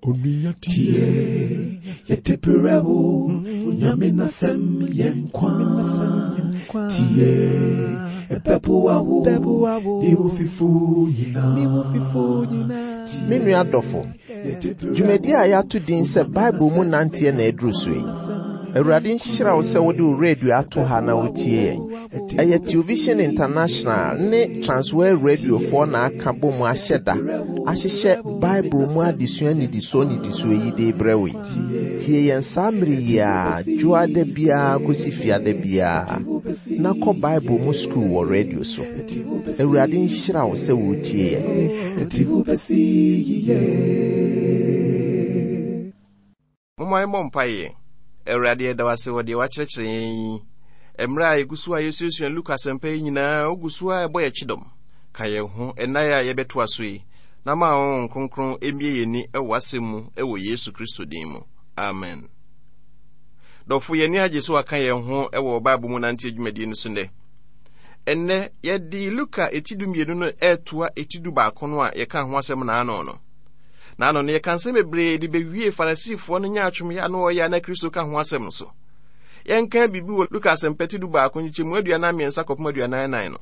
Onua tie, yɛde brɛ wo, Nyame n'asɛm yɛ nkwa. Tie, ɛbɛboa wo, ne wo fifo nyinaa. Me nua dɔfo, dwumadi a yɛato din sɛ Bible mu nanteɛ na aduru so yi. Awurade nhyira wo sɛ wode wo radio ato ha na wotie yɛn. Ɛyɛ Television International ne Transworld Radiofoɔ na aka bɔ mu ahyɛ da ahyehyɛ Bible mu adesua nnidisoɔ nnidisoɔ yi de rebrɛ wo yi. Tie yɛn saa mmere yi ara, dwoada biara kɔsi fiada biara, na kɔ Bible mu sukuu wɔ radio so. Awurade nhyira wo sɛ woretie yɛn. Momma yɛmmɔ mpaeɛ. Awurade, yɛda wo ase wɔ deɛ woakyerɛkyerɛ yɛn yi. Mmerɛ a yɛgu so a yɛsuasua Luka asɛmpa yi nyinaa, wogu so a ɛbɔ yɛn kyidɔm. Ka yɛn ho ɛnna a yɛbɛtoa so yi, na ma Honhom Kronkron mmue yɛn ani wɔ w'asɛm mu wɔ Yesu Kristo din mu. Amen. Dɔfo, yɛn ani agye sɛ waka yɛn ho wɔ Bible mu nante adwumadie no so nnɛ. Ɛnnɛ, yɛde Luka eti dumienu no ɛretoa eti du baako no a yɛka ho asɛm naano no. Na ano no yɛka nsɛm bebree de bewie Farisifoɔ no nyaatwomyɛ a na wɔyɛ a na Kristo ka ho asɛm no so. Yɛnka biribi wɔ Luka asɛmpa ti 11 nkyekyɛmu 43 kɔpem 44 no.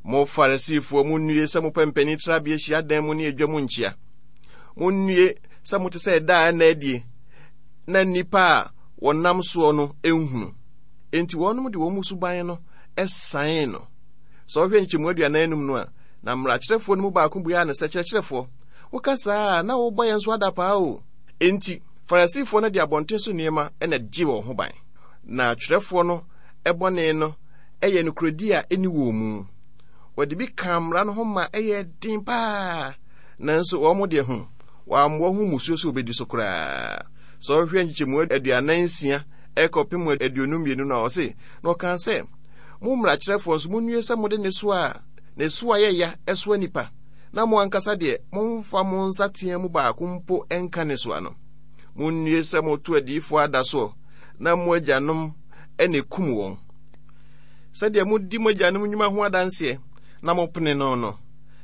Mo Farisifoɔ, monnue sɛ mopɛ mpanin trabea hyiadan mu ne adwa mu nkyea. Monnue sɛ mote sɛ ɛda a ɛnna adie na nnipa a wɔnam soɔ no nhunu. Enti wɔnom de wɔn mu suban no san no. Sɛ ɔhwɛ nkyɛmu 45 no a, Na mmarakyerɛfoɔ no mu baako buaa no sɛ, Kyerɛkyerɛfoɔ, woka saa a, na wobɔ yɛn nso adapaa o. Enti, Farisifoɔ no de abɔnten so nneɛma na ɛgye wɔn ho ban, na atwerɛfoɔ no bɔne no yɛ nokorɛdie a ɛnni wɔn mu. Wɔde bi kaa mmara no ho ma ɛyɛɛ den paa, nanso wɔn deɛ ho, wɔammoa ho mmusuo sɛ wɔbɛdi so koraa. Sɛ wohwɛ nkyekyɛmu 46 kɔpem 52 no a, ɔse, Na ɔkaa sɛ, Mo mmarakyerɛfoɔ nso, monnue sɛ mode nnesoa a ne so ayɛ ya soa nnipa, na mo ankasa deɛ, momfa mo nsateaa mu baako mpo nka ne soa no. Monnue sɛ moto adiyifoɔ ada soɔ, na mo agyanom na ɛkum wɔn. Sɛdeɛ modi mo agyanom nnwuma ho adanseɛ na mopene no no,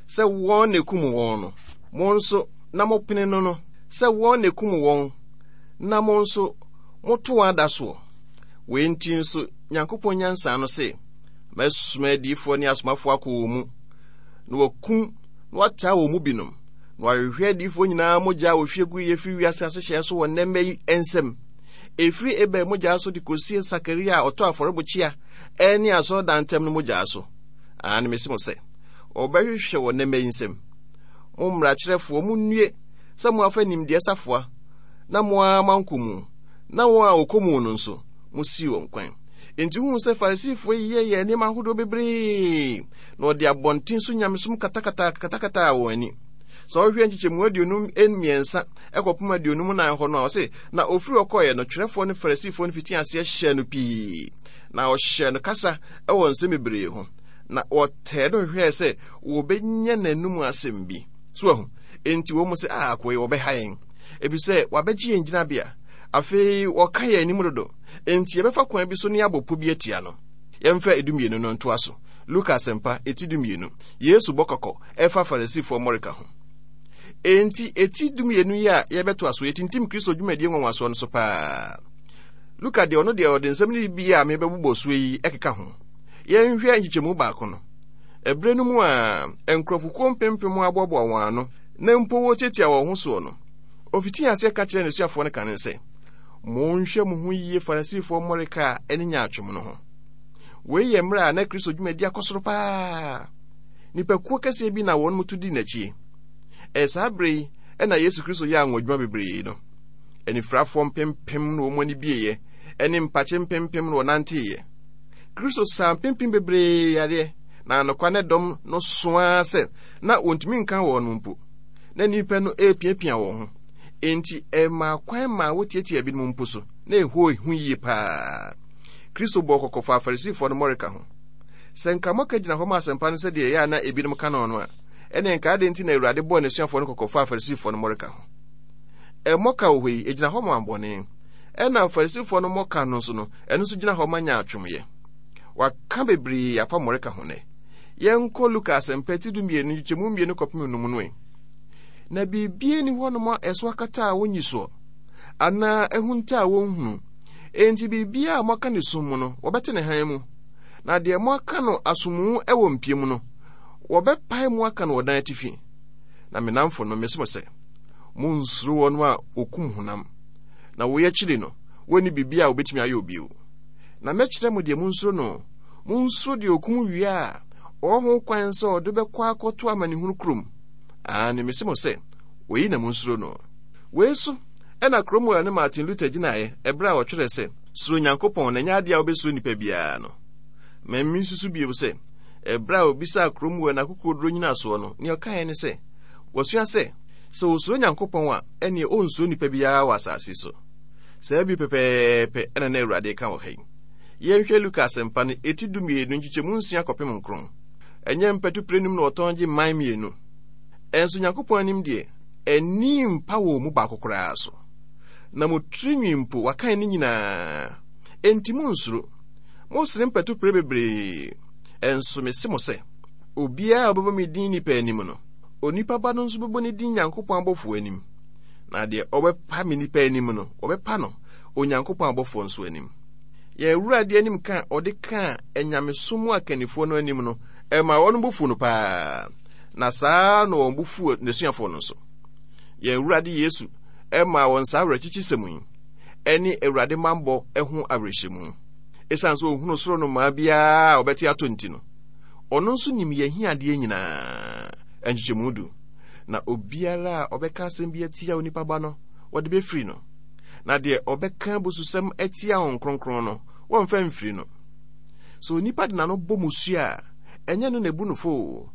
sɛ wɔn na ɛkum wɔn no, mo nso na mopene no no, sɛ wɔn na ɛkum wɔn, na mo nso moto wɔn ada soɔ. Wei nti nso, Nyankopɔn nyansa no se, Mɛsoma adiyifoɔ ne asomafoɔ akɔ wɔn mu, na wɔakum na wɔataa wɔn mu binom, na wɔahwehwɛ adiyifoɔ nyinaa mogya a wɔhwie guiɛ firi wiase asehyɛɛ so wɔ nnɛ mma yi nsam, ɛfiri Abel mogya so de kɔsi Sakaria a ɔtɔ afɔrebukyia ne asɔredan ntam no mogya so. Aane, mese mo sɛ, wɔbɛhwehwɛ wɔ nnɛ mma yi nsam. Mo mmarakyerɛfoɔ, monnue sɛ moafa nimdeɛ safoa na mo ara moankɔ mu, na wɔn a wɔkɔ mu no nso, mosii wɔn kwan. Enti wohu sɛ Farisifo yi yɛɛ nneɛma ahodoɔ bebree, na wɔde abɔnten so nyamesom katakataa katakataa wɔn ani. Sɛ wohwɛ nkyekyɛmu 53 kɔpem 54 hɔ no a, ɔse, Na ofiri hɔ kɔeɛ no, twerɛfoɔ ne Farisifoɔ no fitii aseɛ hyɛɛ no pii, na wɔhyɛɛ no kasa wɔ nsɛm bebree ho, na wɔtɛɛ no hwehwɛɛ sɛ wɔbɛnya n'anom asɛm bi. So ahu? Enti wɔn mu sɛ, ah, akoa yi, wɔbɛha yɛn, efisɛ wabɛgye yɛn gyinabea. Afei wɔka yɛn anim dodo. Enti yɛbɛfa kwan bi so ne abɔ po bi atia no. Yɛmfa edumienu no ntoa so. Luka Asɛmpa, eti dumienu. Yesu bɔ kɔkɔ ɛfa Farisifoɔ mmɔreka ho. Enti eti dumienu yi a yɛbɛtoa so yɛtintim Kristo dwumadie nwanwasoɔ no so paa. Luka deɛ ɔno deɛ ɔde nsɛm no bi a mebɛbobɔ soɔ yi ɛkeka ho. Yɛnhwɛ nkyekyɛmu baako no. Ɛberɛ no mu a nkurɔfokuo mpempem aboaboa wɔn ano na mpo wɔtiatia wɔn ho soɔ no, ofitii aseɛ ka kyerɛɛ n'asuafoɔ no kane sɛ, Monhwɛ mo ho yiye Farisifoɔ mmɔreka a ɛne nyaatwom no ho. Wei yɛ mmerɛ a na Kristo dwumadi akɔ soro paa. Nnipakuo kɛseɛ bi na wɔn mu to di n'akyi. Ɛyɛ saa berɛ yi na Yesu Kristo yɛɛ anwonwadwuma bebree no. Anifirafoɔ mpempem na wɔn ani bieeɛ, ɛne mpakye mpempem na wɔnanteeɛ. Kristo saa mpempem bebree yareɛ, na anokwa ne dɔm no so ara sɛ na wɔntumi nka wɔn mpo. Na nnipa no repiapia wɔn ho. Enti ɛmaa kwan maa wotiatiaa binom mpo so, na ɛhɔ hu yie paa. Kristo bɔɔ kɔkɔ faa Farisifoɔ no mmɔreka ho. Sɛ nka mmɔka gyina hɔ ma asɛmpa no sɛdeɛ ɛyɛ a na ebinom ka no no a, ɛnneɛ nka adɛn nti na Awurade bɔɔ n'asuafoɔ no kɔkɔ faa Farisifoɔ no mmɔreka ho? Mmɔka wɔ hɔ yi, ɛgyina hɔ ma bɔne. Ɛna Farisifoɔ no mmɔka no nso no, ɛno nso gyina hɔ ma nyaatwomyɛ. Wɔaka bebree afa mmɔreka ho nnɛ. Yɛnkɔ Luka Asɛmpa ti 12 nkyekyɛmu 2 kɔpem 5 no ɛ. Na biribiara nni hɔnom a ɛso akata a wonnyi soɔ, anaa ahunta a wonhunu. Enti biribiara a moaka no sum mu no, wɔbɛte no hann mu, na deɛ moaka no asomu wɔ mpia mu no, wɔbɛpae mu aka no wɔ dan atifi. Na me nnamfonom, mese mo sɛ, Monnsuro wɔn a wɔkum honam, na woi akyiri no, wɔnni biribi a wɔbɛtumi ayɛ bio. Na mɛkyerɛ mo deɛ monsuro no, Monsuro deɛ ɔkum wie a, ɔwɔ ho kwan sɛ ɔde bɛkɔ akɔto amanehunu kurom. Aane, mese mo sɛ, oyi na monsuro no. Wei so na Cromwell ne Martin Luther gyinaeɛ ɛberɛ a wɔtwerɛɛ sɛ, Suro Nyankopɔn na ɛnyɛ adeɛ a wobɛsuro nnipa biara no. Ma mensusu bio sɛ, ɛberɛ a wɔbisaa Cromwell n'akokoɔduro nnyinasoɔ no, nea ɔkaeɛ ne sɛ, Wasua sɛ, sɛ ɔsuro Nyankopɔn a, ɛnneɛ ɔnsuro nnipa biara wɔ asase so. Saa bi pɛpɛɛpɛ na na Awurade reka wɔ ha yi. Yɛnhwɛ Luka Asɛmpa no, eti dumienu, nkyekyɛmu nsia kɔpem nkron. Ɛnyɛ mpatu pirenum na wɔtɔn gye mman mmienu. Ɛnso Nyankopɔn anim deɛ, ani mpa wɔn mu baako koraa so. Na mo tirinwi mpo, wakan ne nyinaa. Enti monnsuro. Mosene mpatu pire bebree. Ɛnso mese mo sɛ, obiara a ɔbɛbɔ me din nnipa anim no, onipa Ba no nso bɛbɔ ne din Nyankopɔn abɔfoɔ anim. Na deɛ ɔbɛpa me nnipa anim no, wɔbɛpa no Onyankopɔn abɔfoɔ nso anim. Yɛn Awurade anim ka a ɔde kaa anyamesom mu akannifoɔ no anim no, ɛmaa wɔn bo fuu no paa, na saa ara na wɔn bo fuu n'asuafoɔ no nso. Yɛn Awurade Yesu maa wɔn saa awerɛkyekyesɛm yi, ɛne Awurade mammɔ ho awerɛhyɛmu. Esiane sɛ ɔhunu soro nnomaa biara a ɔbɛte atɔ nti no, ɔno nso nim yɛn ahiadeɛ nyinaa. Nkyekyɛmu du. Na obiara a ɔbɛka asɛm bi atia onipa ba no, wɔde bɛfiri no. Na deɛ ɔbɛka abususɛm atia Honhom Kronkron no, wɔmfa mfiri no. Sɛ onipa de n'ano bɔ mmusua a, ɛnyɛ no na ebu no fɔ oo,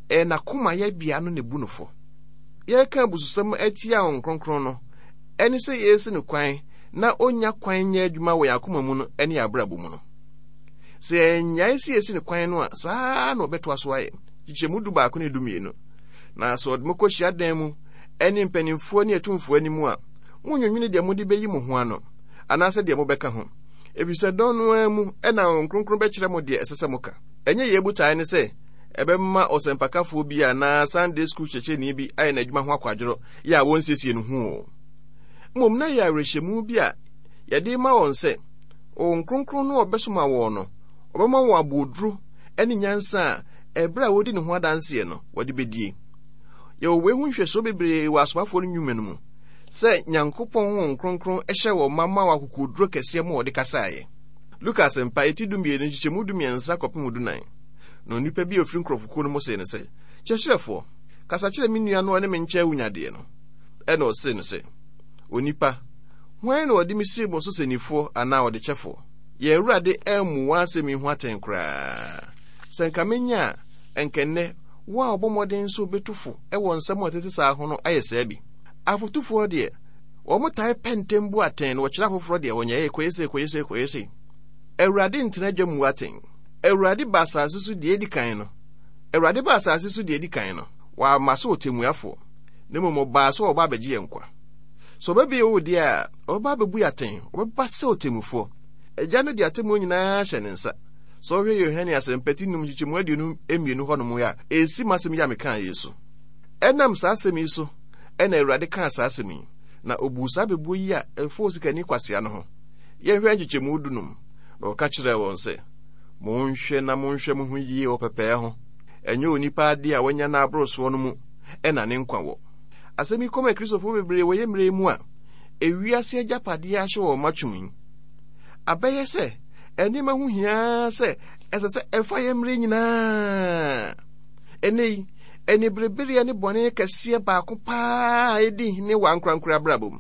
ɛyɛ n'akoma yɛbea no na ebu no fɔ. Yɛreka abususɛm atia Honhom Kronkron no, ɛne sɛ yɛresi no kwan na onnya kwan nyɛ adwuma wɔ yɛn akoma mu no ne yɛn abrabɔ mu no. Sɛ yɛannyae sɛ yɛsi no kwan no a, saa ara na ɔbɛtoa so ayɛ. Kyekyɛmu dubaako ne dumienu. Na sɛ ɔde mo kɔ hyiadan mu ne mpanimfoɔ ne atumfoɔ anim a, Munnwennwene deɛ mode bɛyi mo ho ano, anaasɛ deɛ mobɛka ho, ɛfiri sɛ dɔn no ara mu na Honhom Kronkron bɛkyerɛ mo deɛ ɛsɛ sɛ moka. Ɛnyɛ yɛn botae ne sɛ ɛbɛma ɔsɛmpakafoɔ bi anaa Sunday School kyerɛkyerɛni bi ayɛ n'adwuma ho akwadworɔ yɛ a wɔnsiesie no ho o. Mmom na ɛyɛ awerɛhyɛmu bi a yɛde rema wɔn sɛ Honhom Kronkron no a ɔbɛsoma wɔn no, ɔbɛma wɔn aboɔduro ne nyansa a ɛberɛ a wɔredi ne ho adanseɛ no, wɔde bɛdie. Yɛwɔ wei ho nhwɛsoɔ bebree wɔ Asomafoɔ no nnwuma no mu. Sɛ Nyankopɔn Honhom Kronkron hyɛɛ wɔn ma maa wɔn akokoɔduro kɛseɛ ma wɔde kasaeɛ. Luka Asɛmpa, eti dumienu, nkyekyɛmu dumiɛnsa kɔpem dunan. Na onipa bi a ɔfiri nkurɔfokuo no mu see no sɛ, Kyerɛkyerɛfoɔ, kasa kyerɛ me nua na ɔne me nkyɛ awunyadeɛ no. Ɛnna ɔsee no sɛ, Onipa, hwan na ɔde me sii mo so sɛnnifoɔ anaa ɔdekyɛfoɔ? Yɛn Awurade ammu wɔn asɛm yi ho atɛn koraa. Sɛ anka menya a, anka ɛnnɛ wɔn a wɔbɔ mmɔden sɛ wɔbɛtu fo wɔ nsɛm a ɛtete saa ho no ayɛ saa bi. Afotufoɔ deɛ, wɔtae pɛ ntɛm bu atɛn na wɔkyerɛ afoforɔ deɛ wɔnyɛeɛ, kɔyɛ sei, kɔyɛ sei, kɔyɛ sei. Awurade ntena dwa mmu atɛn. Awurade ba asase so deɛ edi kan no, Awurade ba asase so deɛ edi kan no, wamma sɛ ɔtɛmmuafoɔ, na mmom ɔbaa sɛ ɔreba abɛgye yɛn nkwa. Sɛ ɔba bio deɛ a, ɔbɛba abɛbu yɛn atɛn, ɔbɛba sɛ ɔtemmufoɔ. Agya no de atemmuo nyinaa ahyɛ ne nsa. Sɛ wohwɛ Yohane Asɛmpa ti num nkyekyɛmu 22 hɔnom a, ɛsi m'asɛm yi a mekaeɛ yi so. Ɛnam saa asɛm yi so na Awurade kaa saa asɛm yi, na ɔbuu saa bɛbuo yi a ɛfa osikani kwasea no ho. Yɛnhwɛ nkyekyɛmu dunum. Na ɔka kyerɛɛ wɔn sɛ, Monhwɛ na monhwɛ mo ho yie wɔ pɛpɛɛ ho. Ɛnyɛ onipa adeɛ a wanya no aboro soɔ no mu na ne nkwa wɔ. Asɛm yi kɔma Akristofoɔ bebree wɔ yɛn mmerɛ yi mu a ewiase agyapadeɛ ahyɛ wɔn ma twom yi. Abɛyɛ sɛ nneɛma ho hia sɛ ɛsɛ sɛ ɛfa yɛn mmerɛ nyinaa. Ɛnnɛ yi, aniberebereɛ ne bɔne kɛseɛ baako paa a ɛdi hene wɔ ankorankoro abrabɔ mu.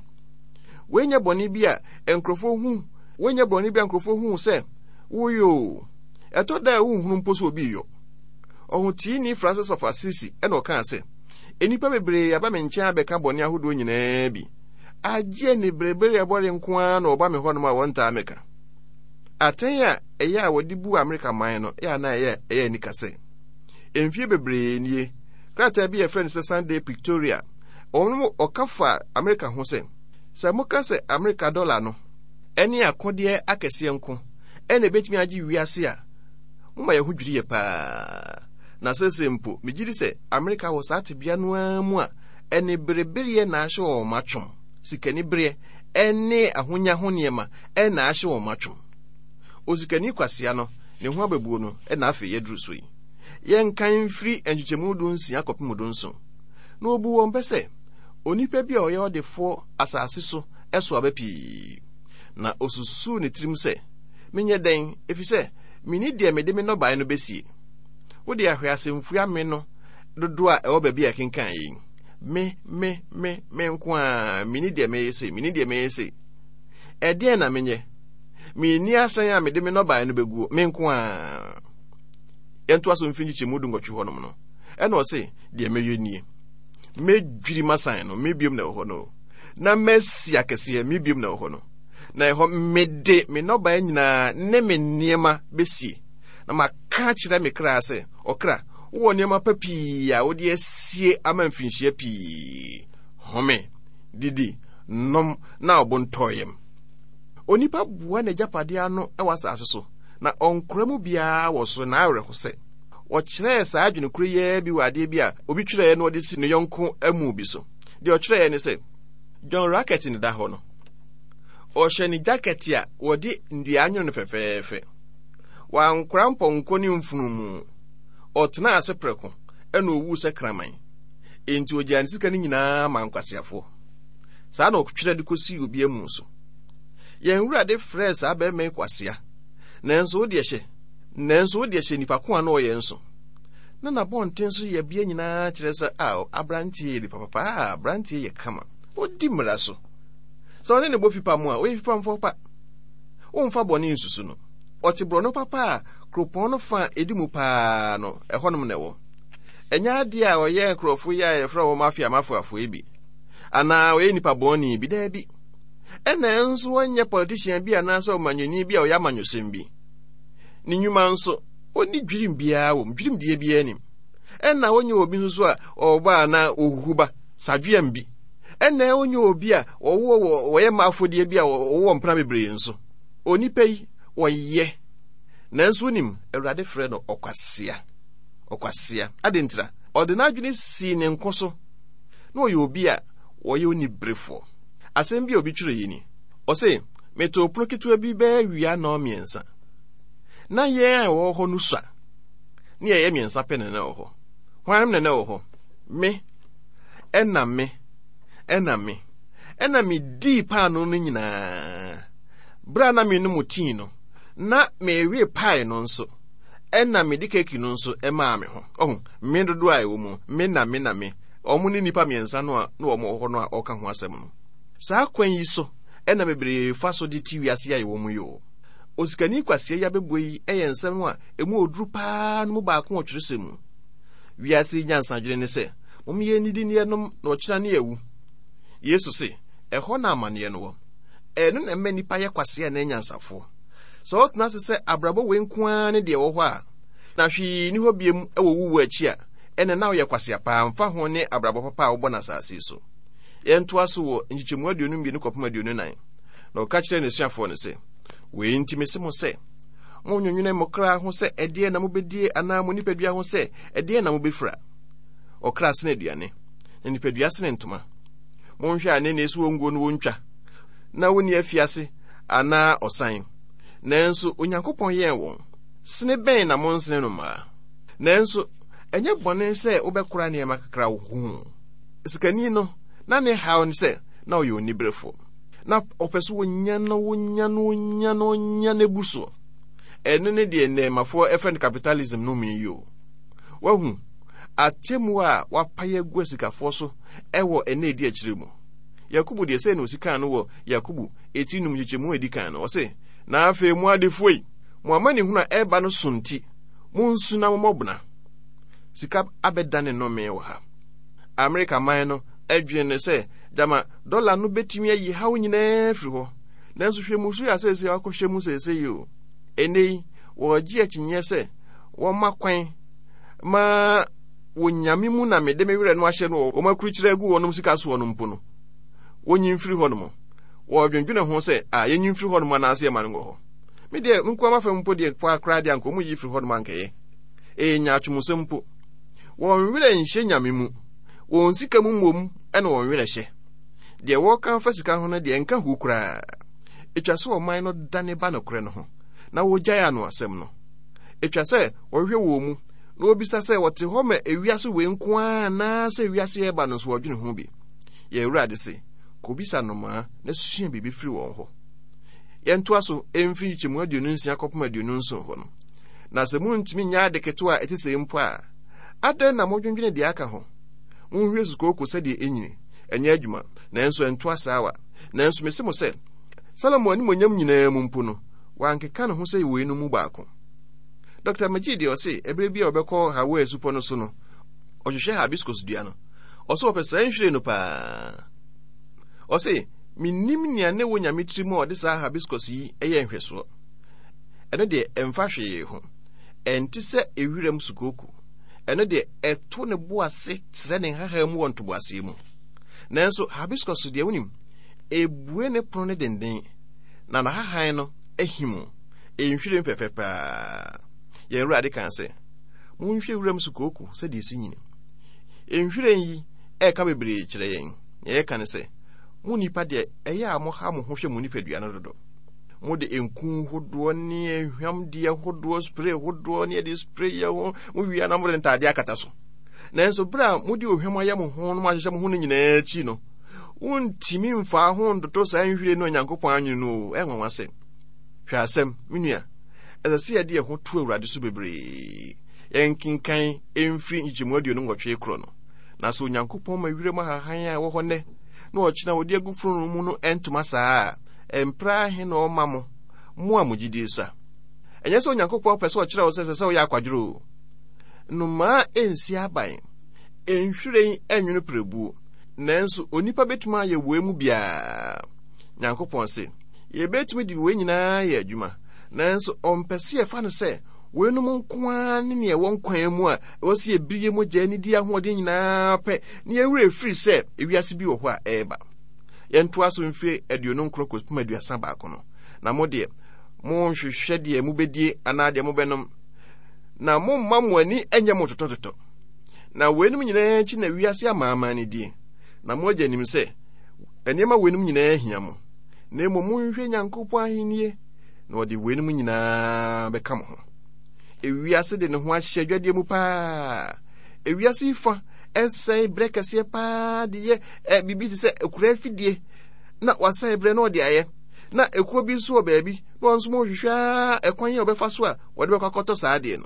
Wei nyɛ bɔne bi a nkurɔfoɔ hu, wei nyɛ bɔne bi a nkurɔfoɔ hu sɛ woyɛ o. Ɛtɔ da a wonhunu mpo sɛ obi reyɔ. Ɔhoteeni Francis of Assisi na ɔkaa sɛ, Nnipa bebree aba me nkyɛn abɛka bɔne ahodoɔ nyinaa bi. Agye aniberebereɛ bɔre nko ara na wɔba me hɔnom a wɔntaa mmɛka. Atɛn a ɛyɛ a wɔde bu Amerika man no yɛ a na ɛyɛ ɛyɛ anika sɛ. Mfie bebree nie, krataa bi a yɛfrɛ no sɛ Sunday Pictorial, wɔn ɔka fa Amerika ho sɛ, sɛ moka sɛ Amerika dɔla no ne akodeɛ akɛseɛ nko ɛna ebetumi agye wiase a, moma yɛn ho dwiri yɛ paa. Na seesei mpo, megye di sɛ Amerika wɔ saa tebea no ara mu a Aniberebereɛ na ahyɛ wɔn atwom. Sikanibereɛ ne ahonya ho nneɛma na ahyɛ wɔn atwom. Osikani kwasea no, ne ho abɛbuo no na afei yɛaduru so yi. Yɛnkan mfiri nkyekyɛmu 16 kɔpem 17. Na ɔbuu wɔn bɛ sɛ, Onipa bi a ɔyɛ ɔdefoɔ asase so so aba pii. Na ɔsusuu ne tirim sɛ, Menyɛ dɛn, ɛfiri sɛ menni deɛ mede me nnɔbaeɛ no bɛsie? Wode ahwɛ asɛmfua me no dodoɔ a ɛwɔ baabi a ɛkenkan yi. Me, me, me, me nko ara, menni deɛ mɛyɛ sei, menni deɛ mɛyɛ sei. Ɛdeɛn na menyɛ? Menni asan a mede me nnɔbaeɛ no bɛguo, me nko ara. Yɛntoa so mfiri nkyekyɛmu 18 hɔnom no. Ɛna ɔse, deɛ mɛyɛ nie. Mɛdwiri m'asan no, me biom na ɛwɔ hɔ no. Na masi akɛseɛ, me biom na ɛwɔ hɔ no. Na ɛhɔ mede me nnɔbaeɛ nyinaa ne me nneɛma bɛsie. Na maka akyerɛ me kra sɛ, Ɔkra, wowɔ nneɛma pa pii a wode asie ama mfirinhyia pii. Home, didi, nom, na wo bo ntɔ yam. Onipa boa n'agyapadeɛ ano wɔ asase so, na ɔnkora mu biara wɔ soro. N'awerɛhosɛ. Wɔkyerɛɛ saa adwene koro yi ara bi wɔ adeɛ bi a obi twerɛeɛ na ɔde si ne yɔnko amu bi so. Deɛ ɔtwerɛeɛ ne sɛ, John Racket na ɛda hɔ no. Ɔhyɛ ne jakɛte a wɔde nnua anwono no fɛfɛɛfɛ. Wankora mpɔnkɔ ne mfunumu. Ɔtenaa ase prɛko, ɛna owuu sɛ kraman. Enti ogyaa ne sika no nyinaa maa nkwaseafoɔ. Saa na ɔtwerɛ de kɔsii obi amu so. Yɛn Wurade frɛɛ saa barima yi kwasea, nanso wo deɛ hyɛ, nanso wo deɛ hyɛ nipa ko a na ɔyɛ nso. Na n'abɔnten so yɛbea nyinaa kyerɛ sɛ, a aberanteɛ yɛ nipa papa, a aberanteɛ yɛ kama. Ɔdi mmara so. Sɛ ɔne ne bɔ fipam a, ɔyɛ fipamfoɔ pa. Womfa bɔne nsusu no. Ɔte borɔno papa a kuropɔn no fa a edi mu paa no, ɛhɔnom na ɛwɔ. Ɛnyɛ adeɛ a ɔyɛ nkurɔfo yi a yɛfrɛ wɔn mafia mafiafoɔ yi bi, anaa ɔyɛ nipa bɔne bi, daabi. Ɛna nso ɔnyɛ politician bi anaasɛ ɔmanyɔni bi a ɔyɛ amanyɔsɛm bi. Ne nnwuma nso, ɔnni dwirim biara wɔ mu, dwirimdeɛ biara nim. Ɛna ɔnyɛ obi nso so a ɔba a na ɔhuhu ba, sadweam bi. Ɛna ɔnyɛ obi a ɔwɔ wɔyɛ mma afɔdeɛ bi a ɔwɔ mpena bebree nso. Onipa yi, ɔyɛ. Nanso wonim, Awurade frɛ no ɔkwasea. Ɔkwasea. Adɛn ntira? Ɔde n'adwene sii ne nko so. Na ɔyɛ obi a ɔyɛ oniberefoɔ. Asɛm bi a obi twerɛeɛ ni. Ɔse, Metoo pono ketewa bi bɛyɛ awia nnɔnmiɛnsa. Na yɛn a yɛwɔ hɔ no sua. Ne yɛyɛ mmiɛnsa pɛ na na ɛwɔ hɔ. Hwannom na na ɛwɔ hɔ? Me, ɛna me, ɛna me. Ɛna medii paanoo no nyinaa. Bere a na menom tii no, na mewe pae no nso, ɛna mede keki no nso maa me ho. Ɔho, me dodoɔ a ɛwɔ mu, me na me na me. Wɔn ne nnipa mmiɛnsa no a na wɔn wɔ hɔ no a ɔreka ho asɛm no. Saa kwan yi so ɛna bebree fa so de te wiase a yɛwɔ mu yi o. Osikani kwasea yi abɛbɔ yi yɛ nsɛm a emu oduru paa no mu baako wɔ twerɛsɛm mu. Wiase yi nyansadwene ne sɛ, mom yɛnnidi ne yɛnom na ɔkyena ne yɛawu. Yesu se, ɛhɔ na amanneɛ no wɔ. Ɛno na ɛma nnipa yɛ kwasea anaa anyansafoɔ. Sɛ wotena ase sɛ abrabɔ wei nko ara ne deɛ ɛwɔ hɔ a, na hwee nni hɔ biom wɔ wo wuo akyi a, ɛnna na woyɛ kwasea paa mfa ho ne abrabɔ papa a wobɔ no asase yi so. Yɛntoa so wɔ nkyekyɛmu 22 kɔpem 24. Na ɔka kyerɛɛ n'asuafoɔ no sɛ, Wei nti mese mo sɛ, monnwennwene mo kra ho sɛ ɛdeɛn na mobɛdie anaa mo nipadua ho sɛ ɛdeɛn na mobɛfira. Ɔkra sene aduane, na nipadua sene ntoma. Monhwɛ anene so wɔnguo no wɔntwa, na wonni afiase anaa ɔsan. Nanso Onyankopɔn yɛn wɔn. Sene bɛn na monsene no mmaa? Nanso ɛnyɛ bɔne sɛ wobɛkora nneɛma kakra wo ho. Sikani no, na ne haw ne sɛ na ɔyɛ oniberefo. Na ɔpɛ sɛ onya na onya na onya na onya na ebu soɔ. Ɛno ne deɛ nnɛɛmafoɔ ɛfrɛ no capitalism no mu yi o. Wahu atemmuo a wapae agu asikafoɔ so ɛwɔ ɛnna edi akyire mu. Yakobo deɛ sɛɛ na osi kaa no wɔ Yakobo eti num nkyekyɛmu a edi kan no, ɔse, Na afei mo adefoɔ yi, mo amanehunu a ɛreba no so nti, monsu na mommɔ bena. Sika abɛdane nnome wɔ ha. Amerika man no dwene no sɛ gyama dɔla no betumi ayi haw nyinaa afiri hɔ. Nanso hwɛ mmusu a seesei wɔakɔhyɛ mu seesei yi o. Ɛnnɛ yi, wɔregye akyinnyeɛ sɛ wɔmma kwan ma wɔ nyame mu na mede me werɛ no ahyɛ no wɔ wɔn akurukyerɛ agu wɔnom sika soɔ no mpo no, wɔnyi mfiri hɔ nom. Wɔdwendwene ho sɛ, a yɛnyi mfiri hɔ nom anaasɛ yɛma no ngɔ hɔ. Me deɛ, me nkoa m'afam mpo deɛ koraa deɛ anka wɔn yi firi hɔ nom ankɛyɛ. Ɛyɛ nyaatwomsɛm mpo. Wɔn werɛ nhyɛ nyame mu. Wɔn sika mu mmom na wɔn werɛ hyɛ. Deɛ wɔreka afa sika ho no deɛ ɛnka hu koraa. Ɛtwa sɛ ɔman no dane ba nokorɛ no ho na wɔgyae ano asɛm no. Ɛtwa sɛ wɔhwehwɛ wɔn mu na wɔbisa sɛ wɔte hɔ ma ewiase wei nko ara anaasɛ wiase ɛreba no nso wɔdwene ho bi. Yɛn Awurade se, kɔbisa nnomaa na sua biribi firi wɔn hɔ. Yɛntoa so mfiri nkyekyɛmu 26 kɔpem 27 hɔ no. Na sɛ muntumi nyɛ ade ketewa a ɛte sɛɛ mpo a, adɛn na modwendwene deɛ aka ho? Monhwɛ sukooko sɛdeɛ ɛnyini, ɛnyɛ adwuma, nanso ɛnto asaawa. Nanso mese mo sɛ, Salomo animuonyam nyinaa mu mpo no, wankeka ne ho sɛ weinom mu baako. Dɔkta McGee deɛ ɔse ɛberɛ bi a ɔbɛkɔ Hawaii supɔ no so no, ɔhwehwɛ hibiscus dua no. Ɔse ɔpɛ saa nhwiren no paa. Ɔse, mennim nea ne wɔ Nyame tirim a ɔde saa hibiscus yi yɛ nhwɛsoɔ. Ɛno deɛ ɛmfa hwee ho. Ɛnte sɛ ewiram sukooko. Ɛno deɛ ɛto ne bo ase trɛ ne nhahan mu wɔ ntoboaseɛ mu. Nanso hibiscus deɛ wonim, ebue ne pono no denden, na n'ahahan no ahim. Ɛyɛ nhwiren fɛfɛ paa. Yɛn Awurade kaa sɛ, Monhwɛ wuram sukooko sɛdeɛ ɛsi nyini. Nhwiren yi ɛreka bebree kyerɛ yɛn. Nea ɛreka ne sɛ, mo nnipa deɛ ɛyɛ a moha mo ho hwɛ mo nipadua no dodo. Mode nku hodoɔ ne ahwamdeɛ hodoɔ, spray hodoɔ ne yɛde spray yɛ ho, mo wia na mode ntaadeɛ akata so. Nanso berɛ a mode ohwam ayɛ mo ho no mo ahyehyɛ mo ho no nyinaa akyi no, wontumi mfaa ho ntoto saa nhwiren no Onyankopɔn anwene no o, ɛnwanwa sɛ. Hwɛ asɛm, me nua, ɛsɛ sɛ yɛde yɛn ho to Awurade so bebree. Yɛnkenkan mfiri nkyekyɛmu 28 korɔ no. Na sɛ Onyankopɔn ma wiram ahahan a ɛwɔ hɔ nnɛ na ɔkyena wɔde agu fononoo mu no ntoma saa a, mprɛ ahe na ɔma mo, mo a mo gyidie sua? Ɛnyɛ sɛ Onyankopɔn pɛ sɛ ɔkyerɛ wo sɛ ɛsɛ sɛ woyɛ akwadworɔ o. Nnomaa nsi aban, nhwiren nwono pirebuo, nanso onipa bɛtumi ayɛ wei mu biara. Nyankopɔn se, yɛbɛtumi de wei nyinaa ayɛ adwuma, nanso ɔmpɛ sɛ yɛfa no sɛ weinom nko ara ne nea ɛwɔ nkwa mu a ɛwɔ sɛ yɛbiri yɛ mogya ne di ahoɔden nyinaa pɛ na yɛwerɛ firi sɛ ewiase bi wɔ hɔ a ɛreba. Yɛntoa so mfiri 29 kɔpem 31 no. Na mo deɛ, monhwehwɛ deɛ mobɛdie anaa deɛ mobɛnom, na momma mo ani nyɛ mo totɔtotɔ. Na weinom nyinaa akyi na wiase amanaman no die, na mo agya nim sɛ nneɛma weinom nyinaa hia mo. Na mmom monhwehwɛ Nyankopɔn ahennie, na ɔde weinom nyinaa bɛka mo ho. Ewiase de ne ho ahyɛ adwadeɛ mu paa. Ewiase yi fa ɛsɛe berɛ kɛseɛ paa de yɛ ɛ biribi te sɛ akura afidie na wasɛe berɛ na ɔde ayɛ na ekuo bi nso wɔ baabi na wɔn nso wɔhwehwɛ ara ɛkwan a wɔbɛfa so a wɔde bɛkɔ akɔtɔ saa adeɛ no.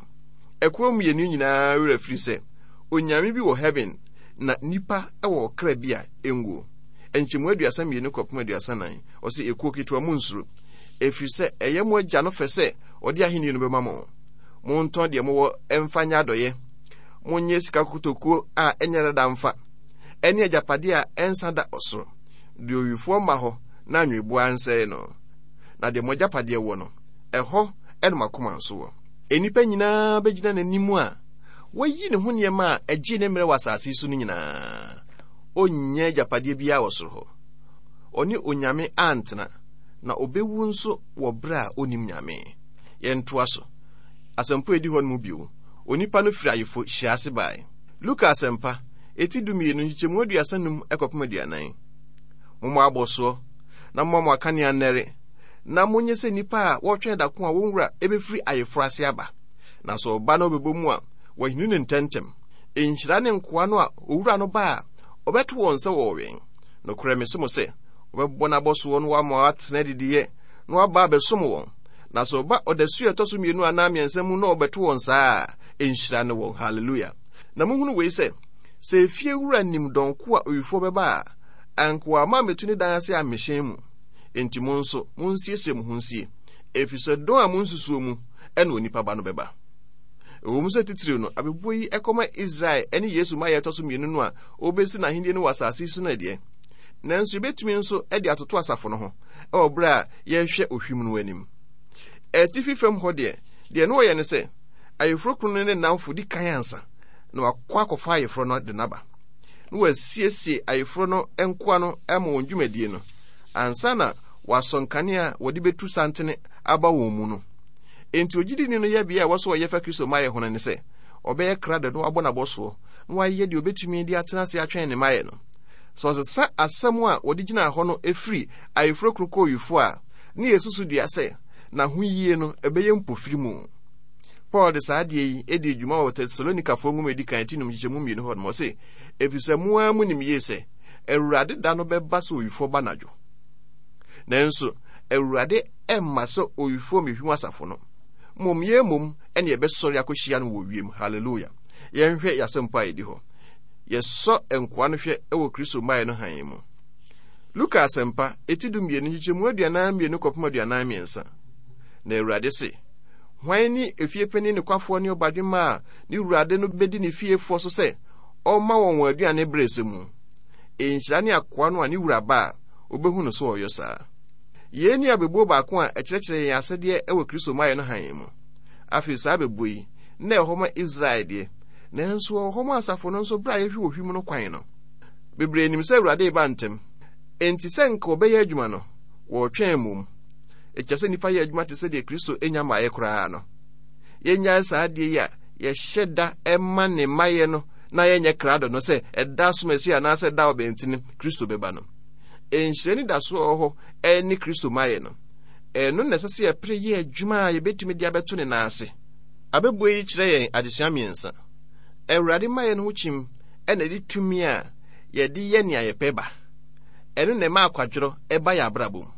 Akuo mmienu nyinaa werɛ firi sɛ onyame bi wɔ heaven na nipa wɔ ɔkra bi a ɛnguo. Nkyɛmu 32 kɔpem 34, ɔse ekuo ketewa monnsuro, ɛfiri sɛ ɛyɛ mo agya no fɛ sɛ ɔde ahennie no bɛma mo. Montɔn deɛ mowɔ mfa nyɛ adɔeɛ. Monyɛ sika kotokuo a ɛnyɛ dada mfa, ɛne agyapadeɛ a ɛnsa da ɔsoro, deɛ owifoɔ mma hɔ na anweboa nsɛe no. Na deɛ mo agyapadeɛ wɔ no, ɛhɔ na mo akoma nso wɔ. Nnipa nyinaa bɛgyina n'anim a wayi ne ho nneɛma a ɛgyee ne mmerɛ wɔ asase yi so no nyinaa. Ɔnnya agyapadeɛ biara wɔ soro hɔ. Ɔne Onyame antena, na ɔbɛwu nso wɔ berɛ a ɔnnim Nyame. Yɛntoa so. Asɛmpa a ɛdi hɔ no mu bio, onipa no firi ayefo hyia ase bae. Luka Asɛmpa, eti 12, nkyekyɛmu 35 kɔpem 40. Mommɔ abɔsoɔ, na momma mo akanea nnɛre, na monyɛ sɛ nnipa a wɔretwɛn da ko a wɔn wura bɛfiri ayeforɔ ase aba. Na sɛ ɔba na ɔbɛbɔ mu a, wɔahini no ntɛmntɛm. Nhyira ne nkoa no a owura no ba a, ɔbɛto wɔn sɛ wɔrewɛn. Nokorɛ mese mo sɛ, ɔbɛbɔ n'abɔsoɔ na wama wɔatena adidiiɛ, na waba abɛsom wɔn. Na sɛ ɔba ɔdasuo a ɛtɔ so mmienu anaa mmiɛnsa mu na ɔbɛto wɔn saa a, nhyira ne wɔn. Hallelujah. Na monhunu wei sɛ, sɛ efie wura nim dɔn ko a owifoɔ bɛba a, anka wamma ammɛtu ne dan ase ammehyɛn mu. Enti mo nso, monsiesie mo ho nsie, ɛfiri sɛ dɔn a monsusuo mu na onipa ba no bɛba. Ɛwom sɛ titiriw no, abebuo yi kɔma Israel ne Yesu mmaeɛ a ɛtɔ so mmienu no a ɔrebɛsi n'ahennie no wɔ asase yi so no deɛ, nanso yɛbɛtumi nso de atoto asafo no ho wɔ berɛ a yɛrehwɛ ohwim no anim. Atifi fam hɔ deɛ, deɛ na wɔyɛ ne sɛ, ayeforɔkunu no ne nnamfo di kan ansa na wakɔ akɔfa ayeforɔ no de no aba, na wɔasiesie ayeforɔ no nkoa no ama wɔn dwumadie no ansa na wɔasɔ nkanea a wɔde bɛtu santene aba wɔn mu no. Enti ogyidini no yɛbea a ɛwɔ sɛ ɔyɛ fa Kristo mmaeɛ ho no ne sɛ, ɔbɛyɛ krado na wabɔ n'abɔsoɔ na wayɛ deɛ ɔbɛtumi de atena ase atwɛn ne mmaeɛ no. Sɛ ɔsesa asɛm a wɔde gyinaa hɔ no firi ayeforɔkunu kɔ owifoɔ a, ne yɛ susu dua sɛ n'ahoyie no ɛbɛyɛ mpofiri mu. Paul de saa adeɛ yi dii dwuma wɔ Tesalonikafoɔ nwoma edi kan ti num nkyekyɛmu mmienu hɔ nom. Ɔse, Ɛfiri sɛ mo ara monim yie sɛ Awurade da no bɛba sɛ owifoɔ ba anadwo. Nanso Awurade mma sɛ owifoɔ mmɛhwim asafo no. Mmom yɛn mmom ɛne yɛbɛsɔre akɔhyia no wɔ wiem. Hallelujah. Yɛnhwɛ yɛasɛmpa a ɛdi hɔ. Yɛsɔ nkoa no hwɛ wɔ Kristo mmaeɛ no hann mu. Luka asɛmpa, eti 12 nkyekyɛmu 42 kɔpem 43. Na Awurade se, Hwan ne efiepanin nokwafoɔ ne ɔbadwemma a ne wurade no bɛdi ne fiefoɔ so sɛ ɔmma wɔn wɔn aduane berɛ sɛ mu? Nhyira ne akoa no a ne wura ba a, ɔbɛhu no sɛ ɔyɔ saa. Yei ne abɛbuo baako a ɛkyerɛkyerɛ yɛn asɛdeɛ wɔ Kristo mmaeɛ no hann mu. Afei saa abɛbuo yi, na ɛwɔ hɔ ma Israel deɛ, nanso ɛwɔ hɔ ma asafo no nso berɛ a yɛhwɛ ohwim no kwan no. Bebree nim sɛ Awurade reba ntɛm, enti sɛ nka wɔbɛyɛ adwuma no, wɔretwɛn mmom. Ɛtwa sɛ nnipa yɛ adwuma te sɛ deɛ Kristo nya mmaeɛ koraa no. Yɛnnyae saa adeɛ yi a yɛhyɛ da ma ne mmaeɛ no na yɛnyɛ krado no sɛ ɛda asomasi anaasɛ ɛda ɔbɛntene Kristo bɛba no. Nhyira anidasoɔ a ɛwɔ hɔ ne Kristo mmaeɛ no. Ɛno na ɛsɛ sɛ yɛpere yɛ adwuma a yɛbɛtumi de abɛto ne nan ase. Abɛbuo yi kyerɛ yɛn adesua mmiɛnsa. Awurade mmaeɛ no ho kyim na ɛde tumi a yɛde yɛ nea yɛpɛ ba. Ɛno na ɛma akwadworɔ ba yɛn abrabɔ mu.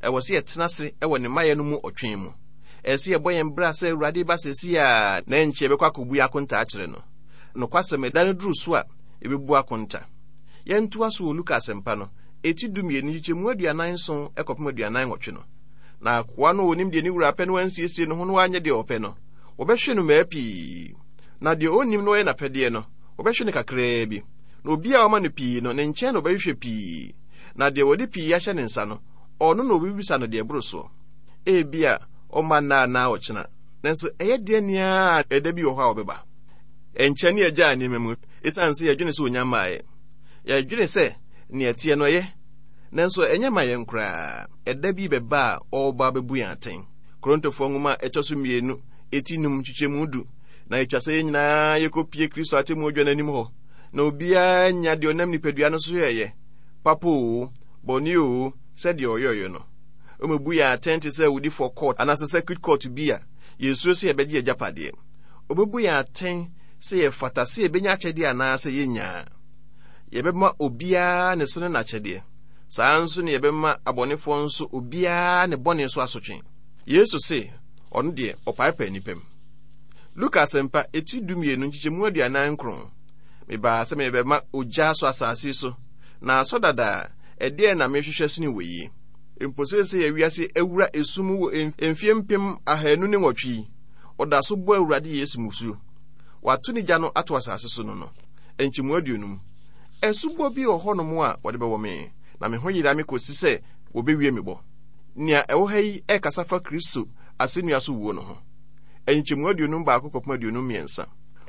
Ɛwɔ sɛ yɛtena ase wɔ ne mmaeɛ no mu ɔtwɛn mu. Ɛsɛ sɛ yɛbɔ yɛn bra sɛ Awurade ba seesei a na ɛnkyɛ yɛbɛkɔ akɔbu yɛn akonta akyerɛ no. Nokwasɛm, ɛda no duru so a, yɛbɛbu akonta. Yɛntoa so wɔ Luka Asɛmpa no, eti 12 nkyekyɛmu 47 kɔpem 48 no. Na akoa no a ɔnim deɛ ne wura pɛ na wansiesie ne ho na wanyɛ deɛ ɔpɛ no, wɔbɛhwe no mmaa pii. Na deɛ ɔnnim na ɔyɛ n'apɛdeɛ no, wɔbɛhwe no kakraa bi. Na obi a wɔama no pii no, ne nkyɛn na wɔbɛhwehwɛ pii. Na deɛ wɔde pii ahyɛ ne nsa no, ɔno na wɔbɛbisa no deɛ ɛboro soɔ. Ebia ɔmma nnɛ anaa ɔkyena, nanso ɛyɛ deɛ nea ɛda bi wɔ hɔ a ɔbɛba. Ɛnkyɛ ne yɛgyaa nneɛma mu esiane sɛ yɛdwene sɛ onya mmaeɛ. Yɛdwene sɛ nea ɛteɛ no ɛyɛ, nanso ɛnyɛ ma yɛn koraa. Ɛda bi bɛba a ɔreba abɛbu yɛn atɛn. Korintofoɔ nwoma a ɛtɔ so mmienu, eti num, nkyekyɛmu du. Na etwa sɛ yɛn nyinaa yɛkɔpie Kristo atemmu adwa no anim hɔ, na obiara nya deɛ ɔnam nipadua no so yɛeɛ, papa oo, bɔne oo, sɛdeɛ ɔyɔeɛ no. Ɔmmɛbu yɛn atɛn te sɛ awudifoɔ court anaasɛ circuit court bi a yɛsuro sɛ yɛbɛgye agyapadeɛ. Ɔbɛbu yɛn atɛn sɛ yɛfata sɛ yɛbɛnya akyɛdeɛ anaasɛ yɛnnya. Yɛbɛma obiara ne so ne n'akyɛdeɛ. Saa ara nso na yɛbɛma abɔnefoɔ nso obiara ne bɔne so asotwe. Yesu se ɔno deɛ ɔpaepae nnipa mu. Luka Asɛmpa, eti 12, nkyekyɛmu 49. Mebaa sɛ merebɛma ogya asɔ asase so, na asɔ dada a, ɛdeɛn na mehwehwɛ sene wei? Mpo seesei a wiase awura esum mu wɔ mfeɛ 2008 yi, ɔda so bɔ Awurade Yesu mmusuo. Wato ne gya no ato asase so no no. Nkyɛmu 50. Asubɔ bi wɔ hɔnom a wɔde bɛwɔ me, na me ho yera me kɔsi sɛ wɔbɛwie me bɔ. Nea ɛwɔ ha yi ɛkasa fa Kristo asɛnnua so wuo no ho. Nkyɛmu 51 kɔpem 53.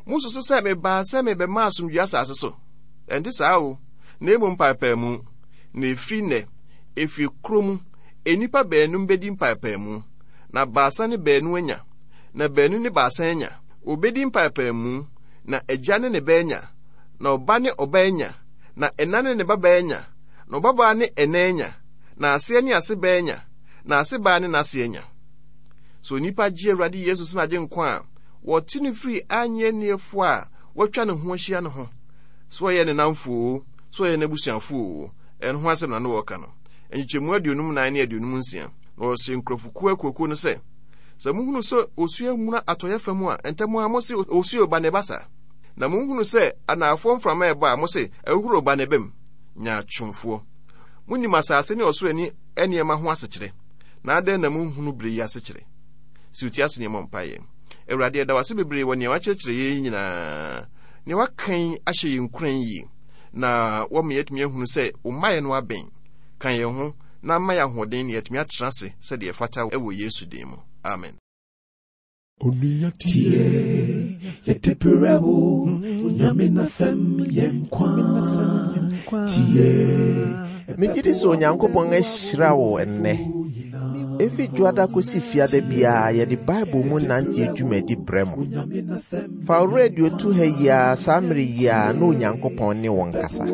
Mususu sɛ mebaa sɛ mebɛma asomdwoe asase so? Ɛnte saa o, na mmom mpaapaemu. Na ɛfiri nnɛ, efie koro mu, nnipa baanum bɛdi mpaapaemu, na baasa ne baanu anya, na baanu ne baasa anya. Wɔbɛdi mpaapaemu, na agya ne ne ba anya, na ɔba ne ɔba anya, na ɛna ne ne babaa anya, na ɔbabaa ne ɛna anya, na aseɛ ne asebaa anya, na asebaa ne n'ase anya. Sɛ onipa gye Awurade Yesu sɛ n'agyenkwa a, wɔte no firi annye-anniefoɔ a wɔatwa ne ho ahyia no ho, sɛ ɔyɛ ne nnamfo oo, sɛ ɔyɛ n'abusuafo oo, ɛno ho asɛm na na wɔreka no. Nkyekyɛmu 54 ne 56, Na ɔsee nkurɔfokuo akuakuo no sɛ, Sɛ mohunu sɛ osuo amuna atɔeɛ fa mu a, ntɛm ara mose, 'Osuo reba, na ɛba saa. Na mohunu sɛ anaafoɔ mframa rebɔ a, mose, 'Ahuhuro reba, na ɛba mu. Nyaatwomfoɔ! Monim asase ne ɔsoro ani nneɛma ho asekyerɛ, na adɛn na monhunu bere yi asekyerɛ? Siw ti ase na yɛmmɔ mpaeɛ. Awurade, yɛda wo ase bebree wɔ nea woakyerɛkyerɛ yɛn yi nyinaa. Nea woaka yi ahyɛ yɛn nkuran yie, na woama yɛatumi ahunu sɛ wo mmaeɛ no abɛn. Ka yɛn ho na ma yɛn ahoɔden na yɛatumi atena ase sɛdeɛ ɛfata wɔ Yesu din mu. Amen. Onua tie, yɛde brɛ wo, Onyame n'asɛm yɛ nkwa. Tie. Megye di sɛ Onyankopɔn ahyira wo ɛnnɛ. Efi Dwoada kosi Fiada biara yɛde Bible mu nante dwumadi brɛ mo. Fa wo radio to ha yi ara saa mmere yi ara na Onyankopɔn ne wo nkasa.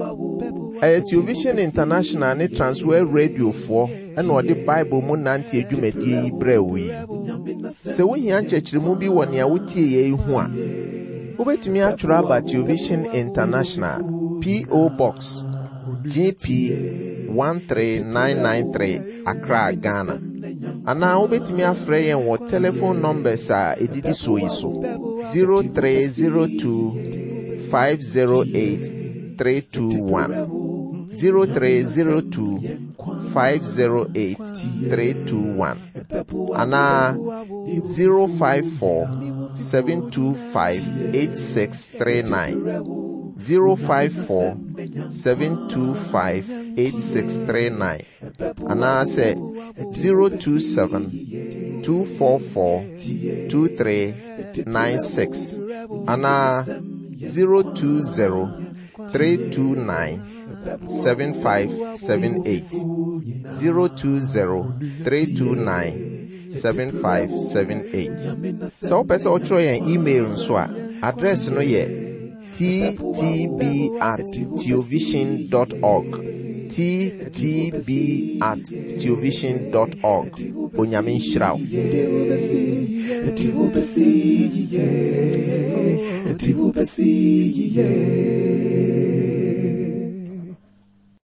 Ɛyɛ Television International ne Transworld Radiofoɔ na ɔde Bible mu nante adwumadie yi brɛɛ wo yi. Sɛ wohia nkyerɛkyerɛmu bi wɔ nea wotieɛ yi ho a, wobɛtumi atwerɛ aba Television International, P.O. Box, GP 13993, Accra, Ghana. Anaa wobɛtumi afrɛ yɛn wɔ telephone numbers a ɛdidi soɔ yi so 0302 508 321 0302 508 321 anaa 054 725 8639 054 725 8639 anaasɛ 027 244 2396 anaa 020 329 7578 020 329 7578. Sɛ wopɛ sɛ wotwerɛ yɛn email nso a, address no yɛ ttb at teovision dot org. ttb at teovision dot org. Onyame nhyira wo.